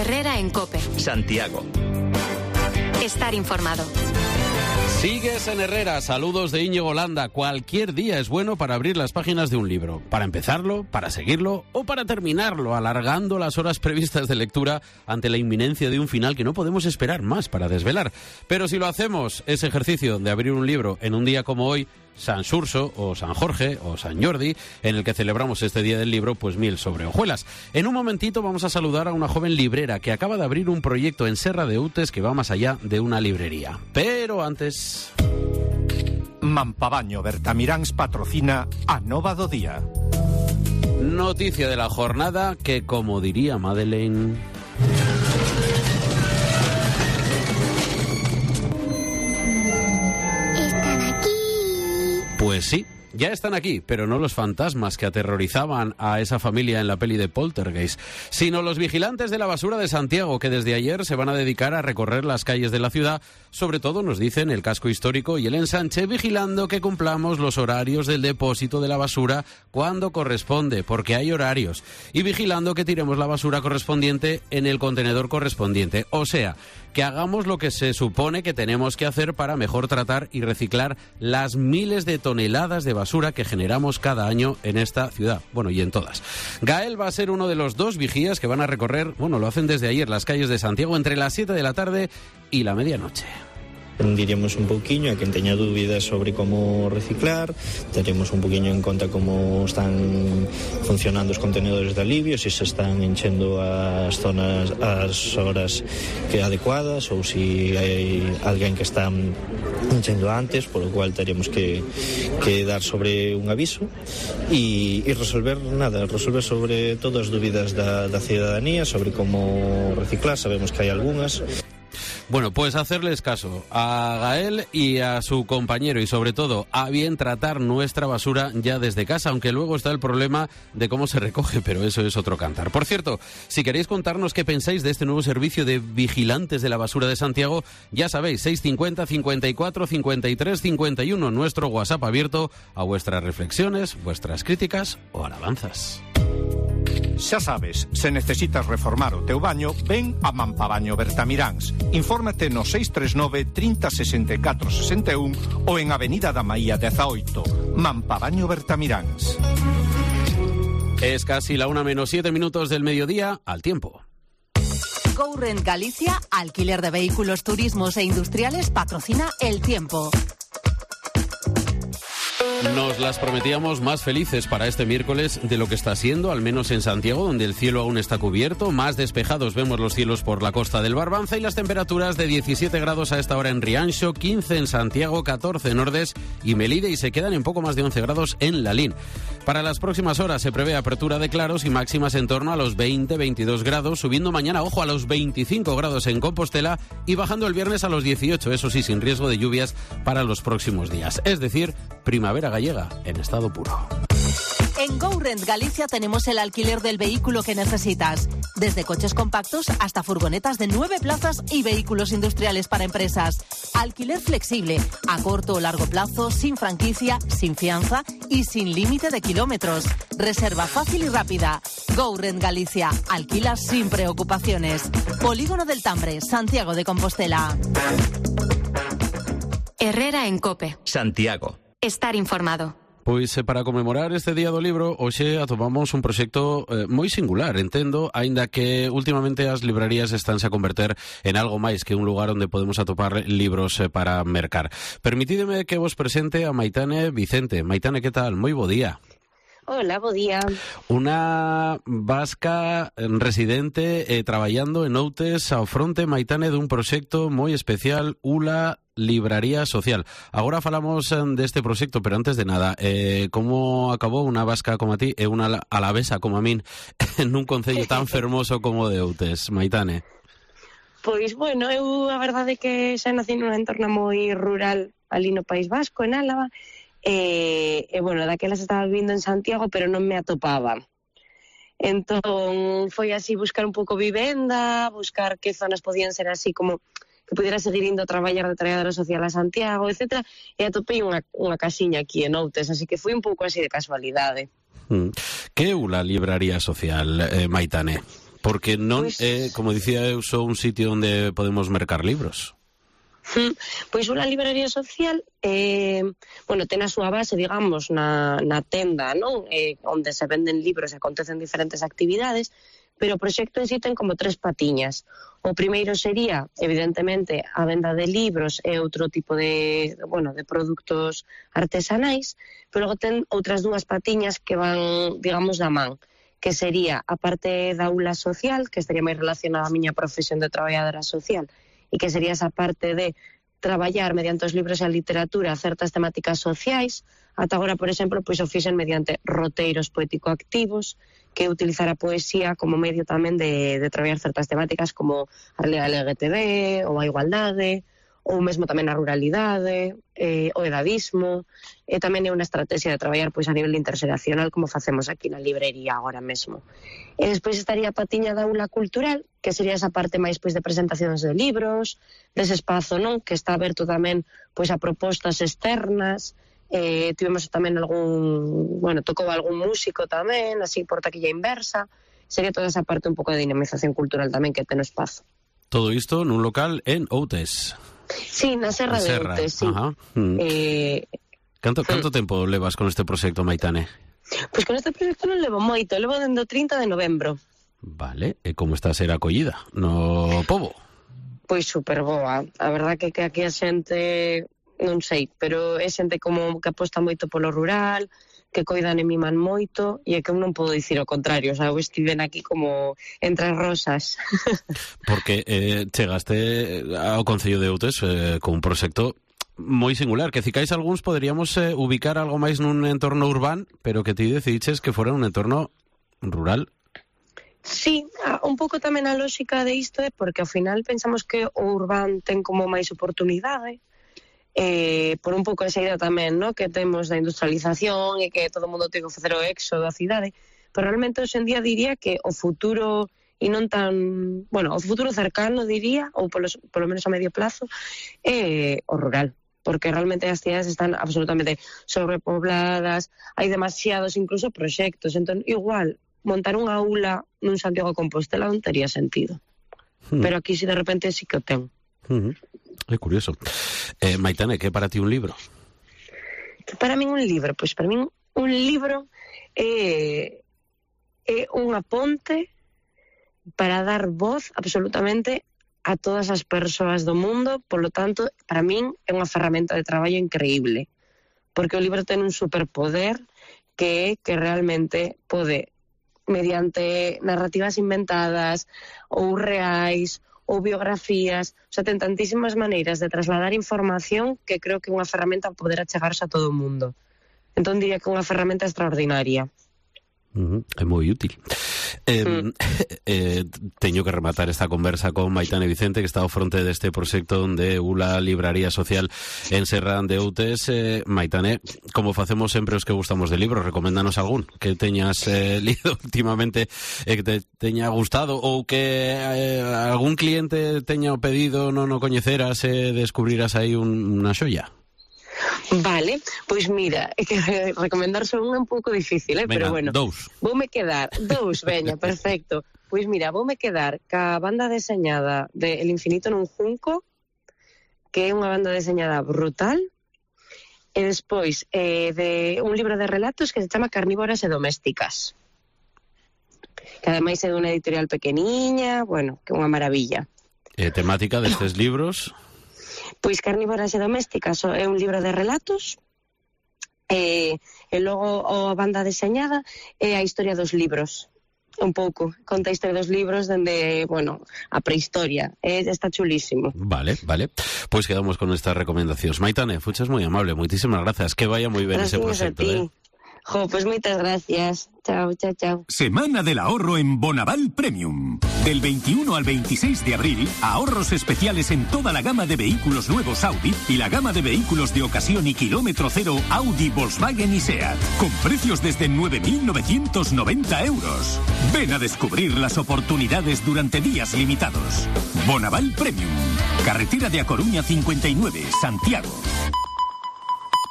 Herrera en COPE. Santiago. Estar informado. Sigues en Herrera, saludos de Íñigo Landa. Cualquier día es bueno para abrir las páginas de un libro, para empezarlo, para seguirlo o para terminarlo, alargando las horas previstas de lectura ante la inminencia de un final que no podemos esperar más para desvelar. Pero si lo hacemos, ese ejercicio de abrir un libro en un día como hoy, San Xurxo o San Jorge o San Jordi, en el que celebramos este Día del Libro, pues miel sobre hojuelas. En un momentito vamos a saludar a una joven librera que acaba de abrir un proyecto en Serra de Utes que va más allá de una librería. Pero antes... Mampabaño Bertamiráns patrocina a Nova do Día. Noticia de la jornada que, como diría Madeleine... Pues sí, ya están aquí, pero no los fantasmas que aterrorizaban a esa familia en la peli de Poltergeist, sino los vigilantes de la basura de Santiago, que desde ayer se van a dedicar a recorrer las calles de la ciudad, sobre todo, nos dicen, el casco histórico y el ensanche, vigilando que cumplamos los horarios del depósito de la basura cuando corresponde, porque hay horarios, y vigilando que tiremos la basura correspondiente en el contenedor correspondiente, o sea, que hagamos lo que se supone que tenemos que hacer para mejor tratar y reciclar las miles de toneladas de basura que generamos cada año en esta ciudad, bueno, y en todas. Gael va a ser uno de los 2 vigías que van a recorrer, bueno, lo hacen desde ayer, las calles de Santiago entre las 7 de la tarde y la medianoche. Diríamos un pouquiño a quen teña dúbidas sobre como reciclar, teremos un poquinho en conta como están funcionando os contenedores de alivio, se están enchendo as zonas, as horas que adecuadas ou se hai alguén que está enchendo antes, polo cual teremos que dar sobre un aviso e resolver sobre todas as dúbidas da cidadanía sobre como reciclar. Sabemos que hai algunhas. Bueno, pues hacerles caso a Gael y a su compañero y sobre todo a bien tratar nuestra basura ya desde casa, aunque luego está el problema de cómo se recoge, pero eso es otro cantar. Por cierto, si queréis contarnos qué pensáis de este nuevo servicio de vigilantes de la basura de Santiago, ya sabéis, 650 54 53 51, nuestro WhatsApp abierto a vuestras reflexiones, vuestras críticas o alabanzas. Xa sabes, se necesitas reformar o teu baño, ven a Mampabaño Bertamiráns. Infórmate no 639 30 64 61 ou en Avenida da Maía 18. Mampabaño Bertamiráns. Es casi la 1:07 del mediodía, al tiempo. GoRent Galicia, alquiler de vehículos, turismos e industriales, patrocina el tiempo. Nos las prometíamos más felices para este miércoles de lo que está siendo, al menos en Santiago, donde el cielo aún está cubierto. Más despejados vemos los cielos por la costa del Barbanza y las temperaturas de 17 grados a esta hora en Rianxo, 15 en Santiago, 14 en Ordes y Melide, y se quedan en poco más de 11 grados en Lalín. Para las próximas horas se prevé apertura de claros y máximas en torno a los 20-22 grados, subiendo mañana, ojo, a los 25 grados en Compostela y bajando el viernes a los 18, eso sí, sin riesgo de lluvias para los próximos días. Es decir, primavera gallega en estado puro. En GoRent Galicia tenemos el alquiler del vehículo que necesitas, desde coches compactos hasta furgonetas de 9 plazas y vehículos industriales para empresas. Alquiler flexible, a corto o largo plazo, sin franquicia, sin fianza y sin límite de kilómetros. Reserva fácil y rápida. GoRent Galicia, alquila sin preocupaciones. Polígono del Tambre, Santiago de Compostela. Herrera en COPE. Santiago. Estar informado. Pois para conmemorar este Día do Libro, hoxe atomamos un proxecto moi singular, entendo, aínda que últimamente as librarías estánse a converter en algo máis que un lugar onde podemos atopar libros para mercar. Permitídeme que vos presente a Maitane Vicente. Maitane, que tal? Moi bo día. Hola, bo día. Una vasca residente traballando en Outes ao fronte, Maitane, dun proxecto moi especial, ULA Libraría Social. Agora falamos deste proxecto, pero antes de nada, como acabou unha vasca como a ti e unha alavesa como a min nun concello tan fermoso como de Outes, Maitane? Pois, bueno, eu a verdade é que xa nací nunha entorna moi rural ali no País Vasco, en Álava, e bueno, daquelas estaba vivindo en Santiago, pero non me atopaba. Entón, foi así buscar un pouco vivenda, buscar que zonas podían ser así como que pudiera seguir indo a traballar de traballadora social a Santiago, etc. E atopei unha casiña aquí en Outes, así que foi un pouco así de casualidade. Que é unha libraría social, Maitane? Porque non é, como dicía eu, só un sitio onde podemos mercar libros. Pois unha librería social ten a súa base, digamos, na tenda, non? Onde se venden libros e acontecen diferentes actividades, pero o proxecto en si ten como 3 patiñas. O primeiro sería, evidentemente, a venda de libros e outro tipo de produtos artesanais, pero logo ten outras 2 patiñas que van, digamos, da man, que sería a parte da aula social, que estaría máis relacionada á miña profesión de traballadora social, e que sería esa parte de traballar mediante os libros e a literatura certas temáticas sociais. Ata agora, por exemplo, pois o fixen mediante roteiros poético-activos, que utilizar a poesía como medio tamén de traballar certas temáticas como a realidade LGTB, ou a igualdade, ou mesmo tamén a ruralidade, o edadismo, e tamén é unha estrategia de traballar pois a nivel interxeracional como facemos aquí na librería agora mesmo. E despois estaría a patiña da aula cultural, que sería esa parte máis pois de presentacións de libros, dese espazo, non, que está aberto tamén pois a propostas externas. Tivemos tamén tocou algún músico tamén, así por taquilla inversa. Sería toda esa parte un pouco de dinamización cultural tamén que ten o espazo. Todo isto nun local en Outes. Sí, na Serra de Outes, sí. Canto tempo levas con este proxecto, Maitane? Pois con este proxecto non levo moito, levo dende o 30 de novembro. Vale, e como está a ser acollida no pobo? Pois super boa, a verdad que aquí a xente, non sei, pero é xente como que aposta moito polo rural, que coidan e miman moito, e é que eu non podo dicir o contrario, o sea, eu estiven aquí como entre rosas. Porque chegaste ao Concello de Outes con un proxecto moi singular, que cicais algúns poderíamos ubicar algo máis nun entorno urbano, pero que ti decidiches que fora un entorno rural. Sí, un pouco tamén a lógica de isto é porque ao final pensamos que o urbano ten como máis oportunidade, por un pouco esa idea tamén, ¿no?, que temos da industrialización e que todo o mundo ten que facer o éxodo da cidade, pero realmente hoxe en día diría que o futuro, e non tan, o futuro cercano diría, ou polo menos a medio plazo, é o rural, porque realmente as cidades están absolutamente sobrepobladas, hai demasiados incluso proxectos, entón igual montar unha aula nun Santiago de Compostela non tería sentido, pero aquí si de repente sí que o ten. É curioso. Maitane, que é para ti un libro? Que para min un libro? Pois para min un libro é unha ponte para dar voz absolutamente a todas as persoas do mundo, polo tanto, para min é unha ferramenta de traballo increíble, porque o libro ten un superpoder que é que realmente pode, mediante narrativas inventadas ou reais ou biografías, o sea, ten tantísimas maneiras de trasladar información que creo que é unha ferramenta para poder achegarse a todo o mundo. Entón diría que é unha ferramenta extraordinaria. É moi útil. Teño que rematar esta conversa con Maitane Vicente, que está ao fronte deste proxecto de Ula Libraría Social en Serra de Outes. Maitane, como facemos sempre os que gustamos de libros, recoméndanos algún que teñas lido últimamente e que te teña gustado, ou que algún cliente teña o pedido, non o coñeceras e descubriras aí unha xoia. Vale, pois mira, é que recomendar só un pouco difícil, pero bueno. Voume quedar, veña, perfecto. Pois mira, voume quedar ca banda deseñada de El infinito nun junco, que é unha banda deseñada brutal, e despois de un libro de relatos que se chama Carnívoras e domésticas, que ademais é dunha editorial pequeniña, que é unha maravilla. Temática destes libros? Pois Carnívoras e domésticas é un libro de relatos, e logo a banda deseñada é a historia dos libros, un pouco, conta a historia dos libros dende, a prehistoria, está chulísimo. Vale, pois quedamos con estas recomendacións. Maitane, fuches moi amable, moitísimas grazas, que vaya moi ben ese proxecto. Pues muchas gracias. Chao, chao, chao. Semana del ahorro en Bonaval Premium. Del 21 al 26 de abril, ahorros especiales en toda la gama de vehículos nuevos Audi y la gama de vehículos de ocasión y kilómetro cero Audi, Volkswagen y SEAT. Con precios desde 9.990 euros. Ven a descubrir las oportunidades durante días limitados. Bonaval Premium. Carretera de A Coruña 59, Santiago.